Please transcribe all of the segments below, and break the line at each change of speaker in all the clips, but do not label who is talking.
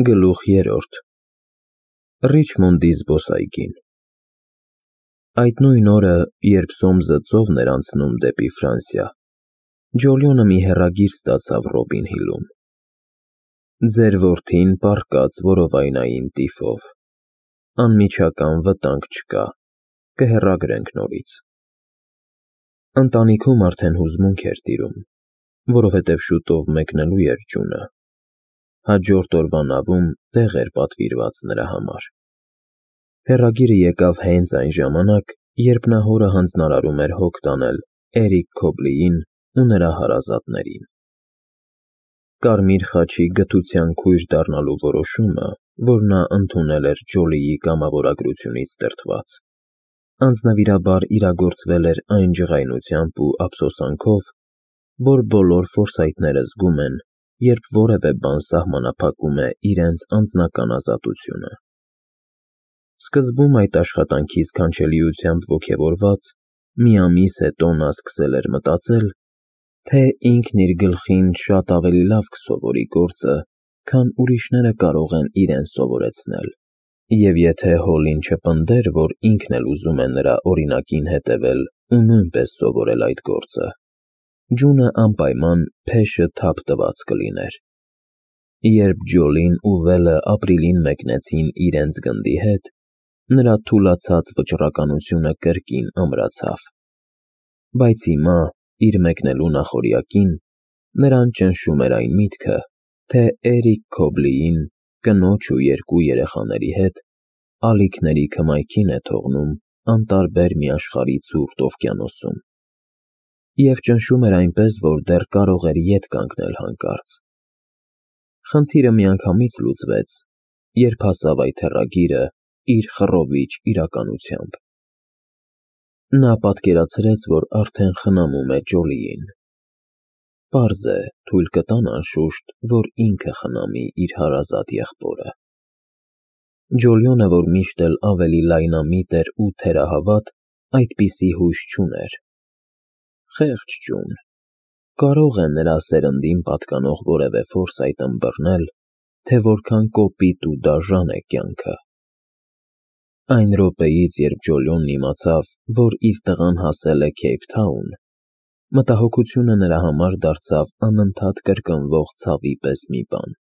Գլուխ 3 Ռիչմոնդի զբոսայգին Այդ նույն օրը, երբ Սոմսը ծովն էր անցնում դեպի Ֆրանսիա, Ջոլիոնը մի հեռագիր ստացավ Ռոբին Հիլում. Ձեր որդին պառկած որովայնային տիֆով, անմիջական վտանգ չկա, կհեռագրենք նորից։ Ընտանիքում արդեն հուզմունք էր տիրում, որովհետև շուտով մեկնելու էր ջունը։ Հաջորդ օրվա նավում տեղ էր պատվիրված նրա համար։ Հեռագիրը եկավ հենց այն ժամանակ, երբ նա հորը հանձնարարում էր հոգ տանել Էրիկ Քոբլիին ու նրա հարազատներին։ Կարմիր խաչի գթության քույր դառնալու որոշումը, որ նա ընդունել էր Ջոլիի կամավորագրությունից դրդված, անձնվիրաբար իրագործվել էր այն ջղայնությամբ ու ափսոսանքով, որ բոլոր ֆորսայթները զգում են, երբ որևէ բան սահմանափակում է իրենց անձնական ազատությունը։ Սկզբում այդ աշխատանքի սքանչելիությամբ ոգևորված, մի ամիս հետո նա սկսել էր մտածել, թե ինքն իր գլխին շատ ավելի լավ կսովորի գործը, քան ուրիշները կարող են իրեն սովորեցնել, և եթե Հոլին չպնդեր, որ ինքն էլ ուզում է նրա օրինակին հետևել ու նույնպես սովորել այդ գործը, ջունը անպայման փեշը թափ տված կլիներ։ Երբ Ջոլին ու Վելը ապրիլին մեկնեցին իրենց գնդի հետ, նրա թուլացած վճռականությունը կրկին ամրացավ, բայց հիմա, իր մեկնելու նախօրյակին, նրան ճնշում էր այն միտքը, թե Էրիկ Քոբլիին, կնոջ ու երկու երեխաների հետ, ալիքների քմայքին է թողնում անտարբեր մի աշխարհի ցուրտ օվկիանոսում։ Եվ ճնշում էր այնպես, որ դեռ կարող էր ետ կանգնել հանկարծ։ Խնդիրը միանգամից լուծվեց, երբ հասավ այդ հեռագիրը իր խռովիչ իրականությամբ։ Նա պատկերացրեց, որ արդեն խնամում է Ջոլիին։ Պարզ է, թույլ կտան անշուշտ, որ ինքը խնամի իր հարազատ եղբորը։ Ջոլիոնը, որ միշտ էլ ավելի լայնամիտ էր ու թերահավատ, այդպիսի հույս չուներ։ Խեղճ ջուն, կարող է նրա սերնդին պատկանող որևէ ֆորսայթ ըմբռնել, թե որքան կոպիտ ու դաժան է կյանքը։ Այն րոպեից, երբ Ջոլիոնն իմացավ, որ իր տղան հասել է Քեյփթաուն, մտահոգությունը նրա համար դարձավ անընդհատ կրկնվող ցավի պես մի բան։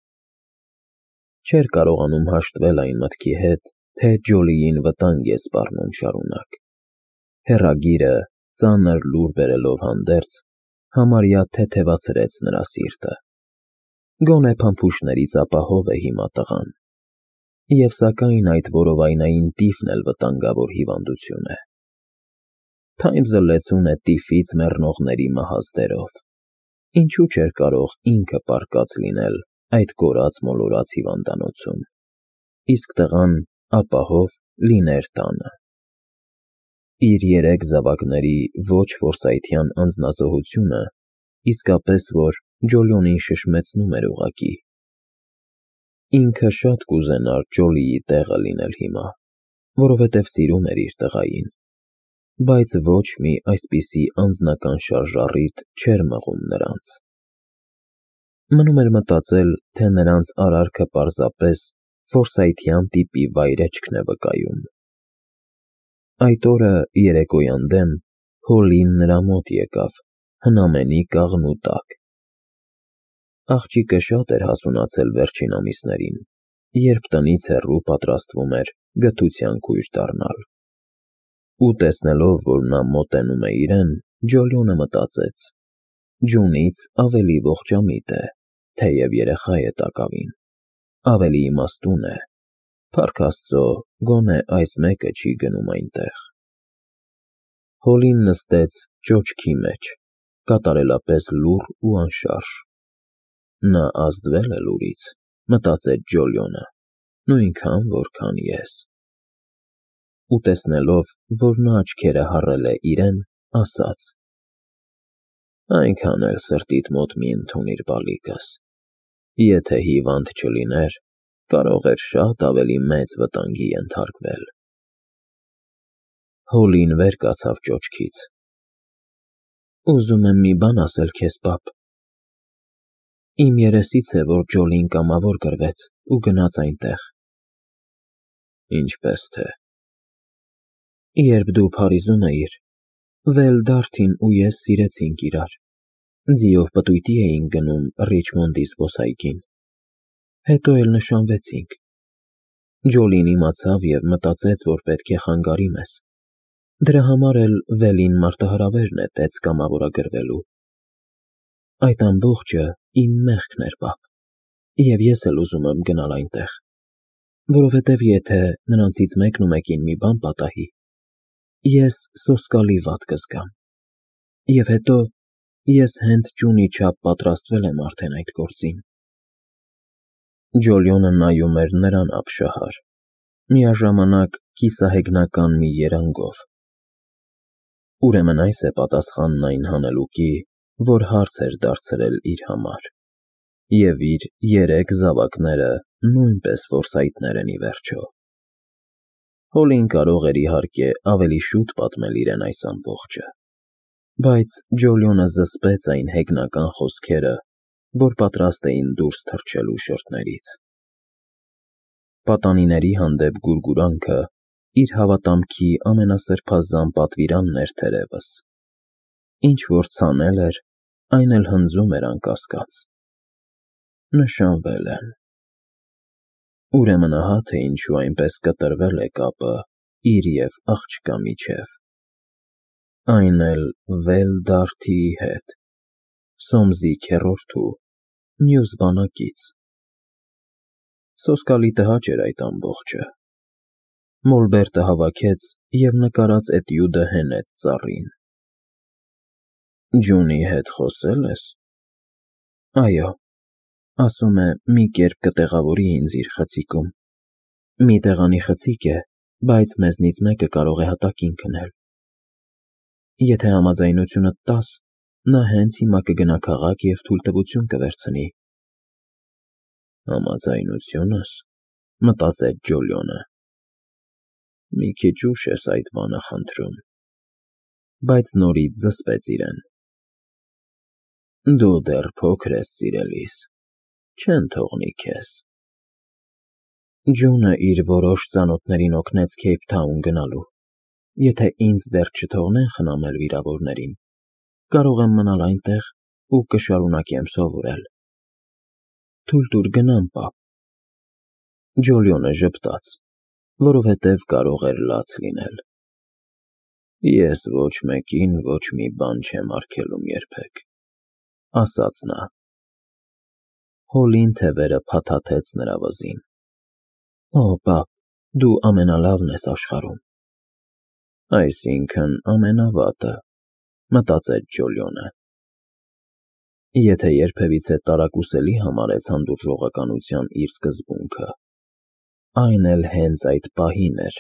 Չէր կարողանում հաշտվել այն մտքի հետ, թե Ջոլիին վտանգ է սպառնում շարունակ։ Հեռագիրը, ծանր լուր բերելով հանդերձ, համարյա թեթևացրեց նրա սիրտը։ Գոնե փամփուշտներից ապահով է հիմա տղան։ Եվ սակայն այդ որովայնային տիֆն էլ վտանգավոր հիվանդություն է։ Թույն զլեցուն է տիֆից մեռնողների մահազդերով։ Ինչու՞ չէր կարող ինքը պառկած լինել այդ կորած-մոլորած հիվանդանոցում, իսկ տղան ապահով լիներ տանը։ Իր 3 զավակների ոչ ֆորսայթյան անձնազոհությունը իսկապես որ Ջոլիոնին շշմեցնում էր ուղղակի։ Ինքը շատ կուզենար Ջոլիի տեղը լինել հիմա, որովհետև սիրում էր իր տղային, բայց ոչ մի այսպիսի անձնական շարժառիթ չէր մղում նրանց։ Մնում էր մտածել, թե նրանց արարքը պարզապես ֆորսայթյան տիպի վայրէջքն է վկայում։ Այդ օրը երեկոյան դեմ Հոլին նրա մոտ եկավ, հնամենի կաղնու տակ։ Աղջիկը շատ էր հասունացել վերջին ամիսներին, երբ տնից հեռու պատրաստվում էր գթության քույր դառնալ։ Ու տեսնելով, որ նա մոտենում է իրեն, Ջոլիոնը մտածեց. ջունից ավելի ողջամիտ է, թեև երեխա է տակավին, ավելի իմաստուն է, փառք Աստծո, գոնե այս մեկը չի գնում այնտեղ։ Հոլին նստեց ճոճքի մեջ, կատարելապես լուռ ու անշարժ։ Նա ազդվել է լուրից, մտածեց Ջոլիոնը, նույնքան, որքան ես։ Ու տեսնելով, որ նա աչքերը հառել է իրեն, ասաց. այնքան էլ սրտիդ մոտ մի ընդունիր բալիկս, եթե հիվանդ չլիներ, կարող էր շատ ավելի մեծ վտանգի ենթարկվել։ Հոլին վեր կացավ ճոճքից։ Ուզում եմ մի բան ասել քեզ, պապ։ Իմ երեսից է, որ Ջոլին կամավոր գրվեց ու գնաց այնտեղ։ Ինչպես թե։ Երբ դու Փարիզում էիր, Դարթին ու ես սիրեցինք իրար, ձիով պտույտի էինք գնում Ռիչմոնդի զբոսայգին, հետո էլ նշանվեցինք։ Ջոլին իմացավ և մտածեց, որ պետք է խանգարի մեզ, դրա համար էլ Վելին մարտահրավեր նետեց կամավորագրվելու։ Այդ ամբողջը իմ մեղքն էր, պապ, և ես էլ ուզում եմ գնալ այնտեղ, որովհետև եթե նրանցից մեկն ու մեկին մի բան պատահի, ես սոսկալի վատ կզգամ, և հետո ես հենց ճունի չափ պատրաստվել եմ արդեն այդ գործին։ Ջոլիոնը նայում էր նրան ապշահար, միաժամանակ կիսահեգնական մի երանգով։ Ուրեմն այս է պատասխանն այն հանելուկի, որ հարց էր դարձրել իր համար, և իր 3 զավակները նույնպես ֆորսայթներ են ի վերջո։ Հոլին կարող էր իհարկե ավելի շուտ պատմել իրեն այս ամբողջը, բայց Ջոլիոնը զսպեց այն հեգնական խոսքերը, որ պատրաստ էին դուրս թռչելու շրթներից։ Պատանիների հանդեպ գուրգուրանքը իր հավատամքի ամենասրբազան պատվիրանն էր թերևս։ Ինչ որ ցանել էր, այն էլ հնձում էր անկասկած։ Նշանվել են։ Ուրեմն ահա թե ինչու այնպես կտրվել է կապը իր և աղջկա միջև։ Այն էլ Դարթիի հետ, Սոմսի քեռորդու, մյուս բանակից։ Սոսկալի տհաճ էր այդ ամբողջը։ Մոլբերտը հավաքեց և նկարած էտյուդը հենեց ծառին։ Ջունի հետ խոսե՞լ ես։ Այո, ասում է մի կերպ կտեղավորի ինձ իր խցիկում։ Մի տեղանի խցիկ է, բայց մեզնից մեկը կարող է հատակին քնել։ Եթե համաձայնությունդ տաս, նա հենց հիմա կգնա քաղաք և թույլտվություն կվերցնի։ Համաձայնությո՞ւնս, մտածեց Ջոլիոնը։ Մի քիչ ուշ ես այդ բանը խնդրում, բայց նորից զսպեց իրեն։ Դու դեռ փոքր ես, սիրելիս, չեն թողնի քեզ։ Ջոնը իր որոշ ծանոթներին օգնեց Քեյփթաուն գնալու։ Եթե ինձ դեռ չթողնեն խնամել վիրավորներին, կարող եմ մնալ այնտեղ ու կշարունակեմ սովորել։ Թույլ տուր գնամ, պապ։ Ջոլիոնը ժպտաց, որովհետև կարող էր լաց լինել։ Ես ոչ մեկին ոչ մի բան չեմ արգելում երբեք, ասաց նա։ Հոլին թևերը փաթաթեց նրա վզին։ Օ, պապ, դու ամենալավն ես աշխարհում։ Այսինքն ամենավատը, մտածեց Ջոլիոնը։ Եթե երբևիցե տարակուսելի համարեց հանդուրժողականության իր սկզբունքը, այն էլ հենց այդ պահին էր։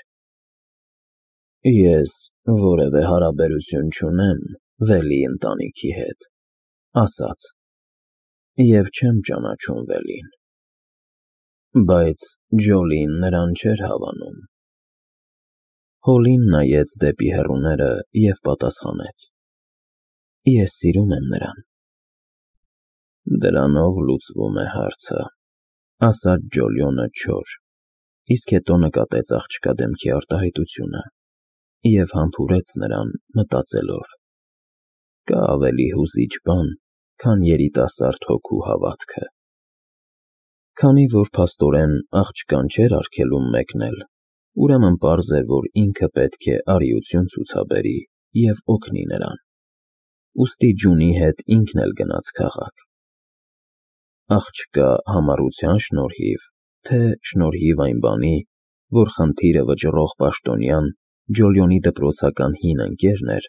Ես որևէ հարաբերություն չունեմ Վելի ընտանիքի հետ, ասաց, և չեմ ճանաչում Վելին։ Բայց Ջոլին նրան չէր հավանում։ Հոլին նայեց դեպի հեռուները և պատասխանեց. Ես սիրում եմ նրան։ Դրանով լուծվում է հարցը, ասաց Ջոլիոնը չոր, իսկ հետո նկատեց աղջկա դեմքի արտահայտությունը և համբուրեց նրան, մտածելով. Կա ավելի հուզիչ բան, քան երիտասարդ հոգու հավատքը։ Քանի որ փաստորեն աղջկան չէր արգելում մեկնել, ուրեմն պարզ էր, որ ինքը պետք է արիություն ցուցաբերի և օգնի նրան։ Ուստի Ջունի հետ ինքն էլ գնաց քաղաք։ Աղջկա համառության շնորհիվ, թե շնորհիվ այն բանի, որ խնդիրը վճռող պաշտոնյան Ջոլիոնի դպրոցական հին ընկերն էր,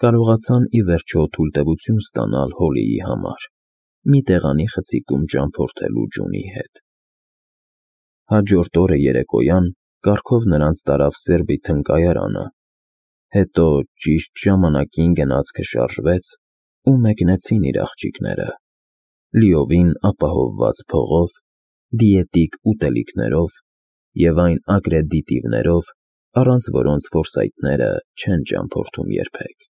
կարողացան ի վերջո թույլտվություն ստանալ Հոլիի համար, մի տեղանի խցիկում ճամփորդելու Ջունի հետ։ Հաջորդ օրը երեկոյան կառքով նրանց տարավ Սերբիթն կայարանը, հետո ճիշտ ժամանակին գնացքը շարժվեց ու մեկնեցին իր աղջիկները, լիովին ապահովված փողով, դիետիկ ուտելիքներով և այն ագրեդիտիվներով, առանց որոնց ֆորսայթները չեն ճամփորդում երբեք։